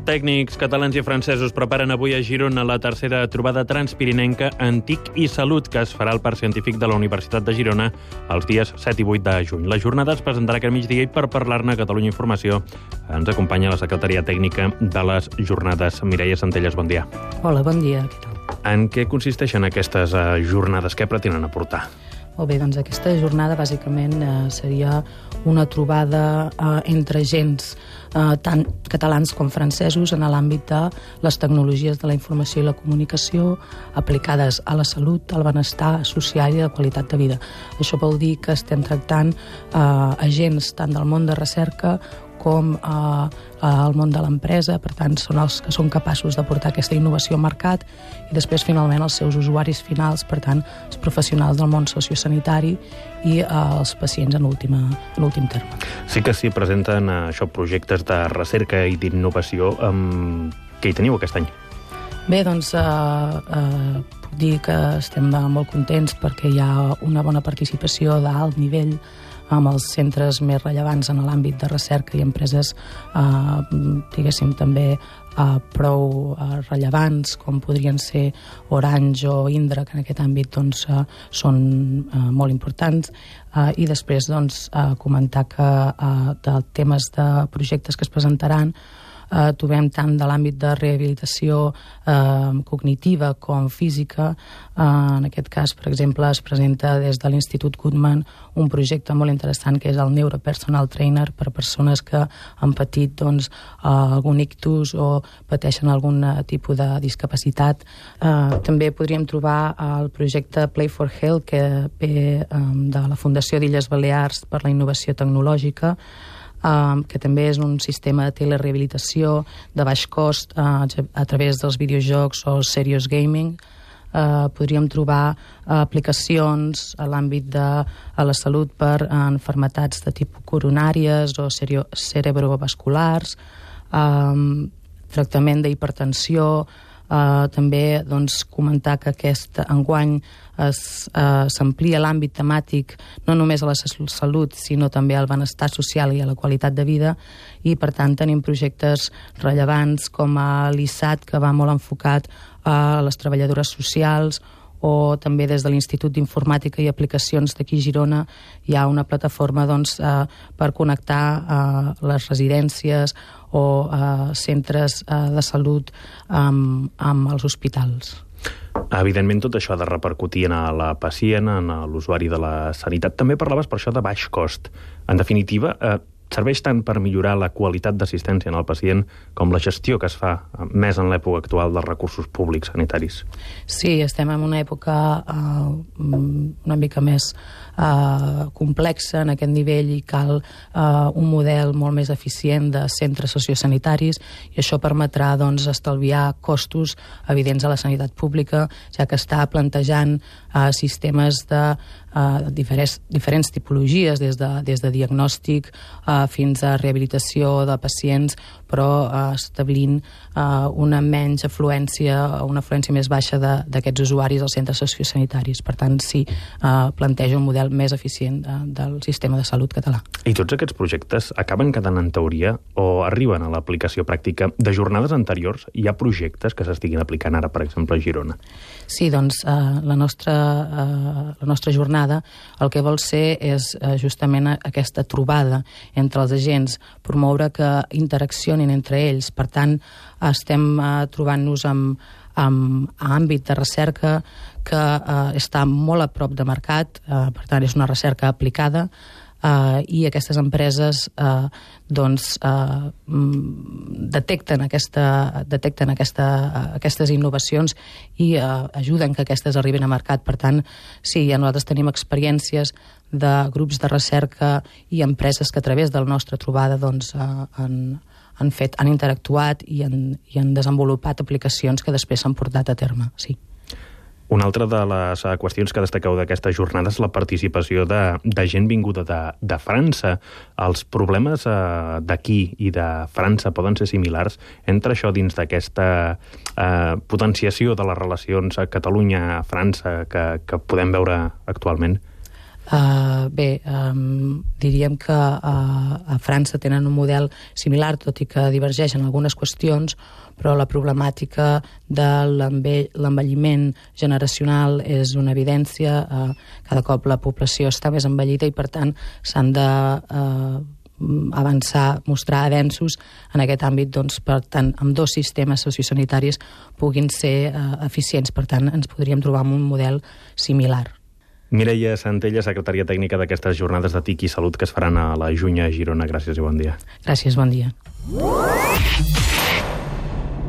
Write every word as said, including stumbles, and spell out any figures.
Tècnics catalans i francesos preparen avui a Girona la tercera trobada transpirinenca en T I C i Salut, que es farà al Parc Científic de la Universitat de Girona els dies set i vuit de juny. La jornada es presentarà aquest migdia i per parlar-ne a Catalunya Informació ens acompanya la secretaria tècnica de les jornades. Mireia Centelles, bon dia. Hola, bon dia. En què consisteixen aquestes uh, jornades? Què pretenen aportar? Molt bé, doncs aquesta jornada bàsicament eh, seria una trobada eh, entre agents eh, tant catalans com francesos en l'àmbit de les tecnologies de la informació i la comunicació aplicades a la salut, al benestar social i a la qualitat de vida. Això vol dir que estem tractant eh, agents tant del món de recerca com eh, al món de l'empresa, per tant són els que són capaços de portar aquesta innovació al mercat i després finalment els seus usuaris finals, per tant els professionals del món sociosanitari i eh, els pacients en última, en últim terme. Sí que s'hi presenten eh, això, projectes de recerca i d'innovació. Um, què hi teniu aquest any? Bé, doncs eh, eh, puc dir que estem molt contents perquè hi ha una bona participació d'alt nivell amb els centres més rellevants en l'àmbit de recerca i empreses, eh, diguéssim, també eh, prou eh, rellevants, com podrien ser Orange o Indra, que en aquest àmbit doncs, eh, són eh, molt importants. Eh, I després doncs, eh, comentar que eh, de temes de projectes que es presentaran Uh, trobem tant de l'àmbit de rehabilitació uh, cognitiva com física. Uh, en aquest cas, per exemple, es presenta des de l'Institut Goodman un projecte molt interessant que és el Neuropersonal Trainer per persones que han patit doncs, uh, algun ictus o pateixen algun tipus de discapacitat. Uh, també podríem trobar el projecte Play for Health, que ve um, de la Fundació d'Illes Balears per la Innovació Tecnològica, Uh, que també és un sistema de telerehabilitació de baix cost uh, a través dels videojocs o serious gaming. Uh, podríem trobar uh, aplicacions a l'àmbit de a la salut per uh, enfermetats de tipus coronàries o cerio, cerebrovasculars, um, tractament d'hipertensió. Uh, també doncs, comentar que aquest enguany s'amplia uh, l'àmbit temàtic no només a la salut, sinó també al benestar social i a la qualitat de vida, i per tant tenim projectes rellevants com a l'I S A T, que va molt enfocat a les treballadores socials, o també des de l'Institut d'Informàtica i Aplicacions d'aquí a Girona hi ha una plataforma doncs, eh, per connectar eh, les residències o eh, centres eh, de salut amb, amb els hospitals. Evidentment, tot això ha de repercutir en la pacient, en l'usuari de la sanitat. També parlaves per això de baix cost. En definitiva, eh, serveix tant per millorar la qualitat d'assistència en el pacient com la gestió que es fa més en l'època actual dels recursos públics sanitaris. Sí, estem en una època uh, una mica més uh, complexa en aquest nivell i cal uh, un model molt més eficient de centres sociosanitaris, i això permetrà doncs, estalviar costos evidents a la sanitat pública, ja que està plantejant uh, sistemes de uh, diferents, diferents tipologies, des de, des de diagnòstic uh, fins a rehabilitació de pacients, però uh, establint uh, una menys afluència, una afluència més baixa d'aquests usuaris als centres sociosanitaris. Per tant, sí, uh, planteja un model més eficient uh, del sistema de salut català. I tots aquests projectes acaben quedant en teoria o arriben a l'aplicació pràctica? De jornades anteriors hi ha projectes que s'estiguin aplicant ara, per exemple, a Girona? Sí, doncs uh, la, nostra, uh, la nostra jornada el que vol ser és uh, justament aquesta trobada entre els agents, promoure que interaccionin entre ells. Per tant, estem uh, trobant-nos amb, amb àmbit de recerca que uh, està molt a prop de mercat, uh, per tant, és una recerca aplicada, Uh, i aquestes empreses uh, doncs, uh, detecten, aquesta, detecten aquesta, uh, aquestes innovacions i uh, ajuden que aquestes arribin a mercat. Per tant, sí, ja nosaltres tenim experiències de grups de recerca i empreses que a través de la nostra trobada doncs, uh, han, han, fet, han interactuat i han, i han desenvolupat aplicacions que després s'han portat a terme, sí. Una altra de les qüestions que destaqueu d'aquesta jornada és la participació de, de gent vinguda de, de França. Els problemes eh, d'aquí i de França poden ser similars entre això dins d'aquesta eh, potenciació de les relacions a Catalunya-França que, que podem veure actualment? Uh, bé, um, diríem que uh, a França tenen un model similar, tot i que divergeixen algunes qüestions, però la problemàtica de l'envelliment generacional és una evidència. Uh, cada cop la població està més envellida i, per tant, s'han de uh, avançar, mostrar avenços en aquest àmbit, doncs, per tant, amb dos sistemes sociosanitaris puguin ser uh, eficients. Per tant, ens podríem trobar amb un model similar. Mireia Santella, secretària tècnica d'aquestes jornades de T I C i Salut que es faran a la Juny a Girona. Gràcies i bon dia. Gràcies, bon dia.